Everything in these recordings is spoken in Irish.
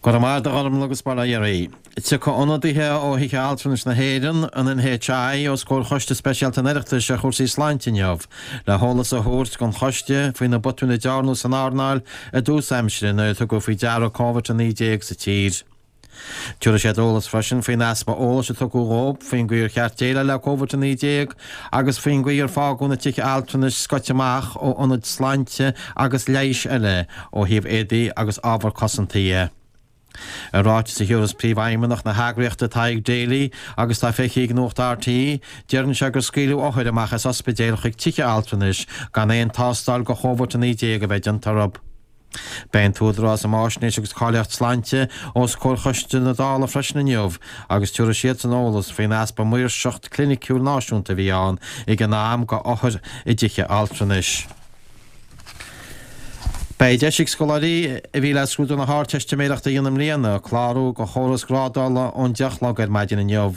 Go raibh maith agat a Ghormlaith agus bail ó Dhia oraibh. Tiocfaidh ionadaithe ó Thithe Altranais na hÉireann, an NHI, os comhair Choiste Speisialta an Oireachtais ar chúrsaí sláinte inniu le heolas a thabhairt don choiste faoi na botúin a dearnadh san earnáil i dtús aimsire nuair a tugadh faoi deara Covid-19 sa tír. Tabharfaidh siad eolas freisin faoin easpa eolais a tugadh dhóibh faoin gcaoi ar cheart déileáil le Covid-19 agus faoin gcaoi ar fágadh na tithe altranais scoite amach ó ionaid sláinte agus leighis eile ó thaobh éadaí agus ábhar cosanta dhe. I ráiteas a thiúrfas Príomhfheidhmeannach na heagraíochta Tadhg Daly agus atá feicthe ag Nuacht RTÉ, deireann sé gur scaoileadh othair amach as ospidéil chuig tithe altranais gan aon tástáil do Chóvid-19 a bheith déanta orthu. Beidh an tÚdarás um Fháisnéis agus Cáilíocht Sláinte os comhair Choiste na Dála freisin inniu agus tabharfaidh siadsan eolas faoin easpa maoirseacht cliniciúil náisiúnta a bhí ann ag an am do othair i dtithe altranais. Beidh deis ag scoláirí a bhí le scrúdú na hArdteistiméireachta a dhéanamh i mbliana clárú do chóras grádála ón 10 a chlog ar maidin inniu.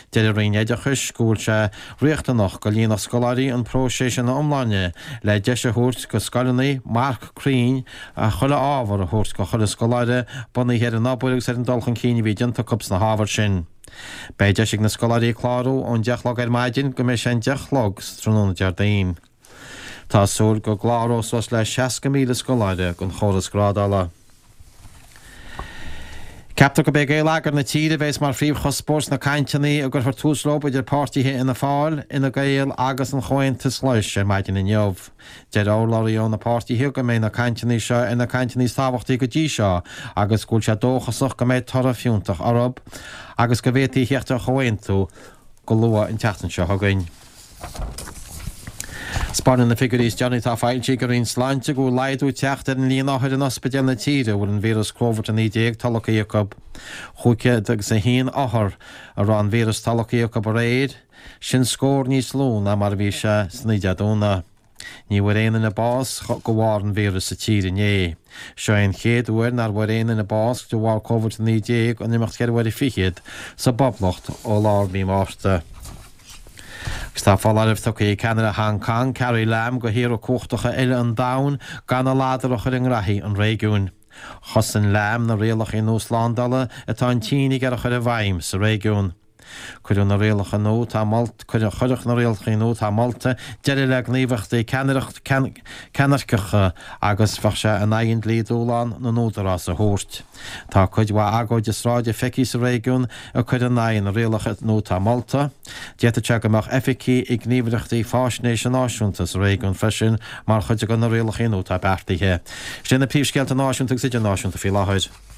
Deir an Roinn Oideachais go bhfuil sé riachtanach go líonfadh scoláirí an próiseas ina iomláine le deis a thabhairt go scoileanna marc cruinn as chuile ábhar a thabhairt go chuile scoláire bunaithe ar an obair agus ar an dul chun cinn a bhí déanta acu sna hábhair sin. Beidh deis ag na scoláirí clárú ón 10 a chlog ar maidin go mbeidh sé an 10 a chlog sa tráthnóna Déardaoin. Tá súil go gcláróidh suas le 60,000 scoláire don chóras grádála. Ceaptar gurb é geilleagar na tíre a bheas mar phríomhchuspóir sna cainteanna a gcuirfear tús leo idir páirtithe Fhianna Fáil, Fhine Gael agus an Chomhaontais Ghlais ar maidin inniu. Deir urlabhraí ó na páirtithe go mbeidh na cainteanna seo ar na cainteanna is tábhachtaí go dtí seo agus go bhfuil sé dóchasach go mbeidh toradh fiúntach orthu agus go bhféadfaí a theacht ar chomhaontú go luath an tseachtain seo chugainn. 'Spáineann na figiúirí is deireanaí atá foilsithe ag an Roinn Sláinte go bhfuil laghdú ag teacht ar an líon othar in ospidéil na tíre a bhfuil an víreas Covid-19 tolgtha acu. 501 othar a raibh an víreas tolgtha acu aréir, sin scór níos lú ná mar a bhí sé san oíche Dé Domhnaigh. Ní bhfuair aon duine bás de bharr an víris sa tír inné. Seo é an chéad uair nár bhfuair aon duine bás de bharr Covid-19 in imeacht cheithre huaire fichead sa bPoblacht ó lár mhí Márta. Agus tá foláireamh tugtha ag ceannaire Hong Kong, Carrie Lam, go thíortha cumhachtacha eile an domhain gan a ladar a chur i ngraithí an réigiúin. Chosain Lam na rialacha nua slándála atá an tSín ag iarraidh a chur i bhfeidhm sa réigiún. Cuireadh na rialacha nua atá molta, Cuirfeadh na rialacha nua atá molta deireadh le gníomhaíochtaí ceannairceacha agus bheadh sé in aghaidh an dlí dúshlán na n-údarás a thabhairt. Tá cuid mhaith agóide sráide feicthe sa réigiún ag cur in aghaidh na rialacha nua atá molta. D'fhéadfadh sé go mbeadh oifigí ag gníomhaireachtaí faisnéise náisiúnta sa réigiún freisin mar chuid de na rialacha nua atá beartaithe. Sin na príomhscéalta náisiúnta agus idirnáisiúnta faoi láthair.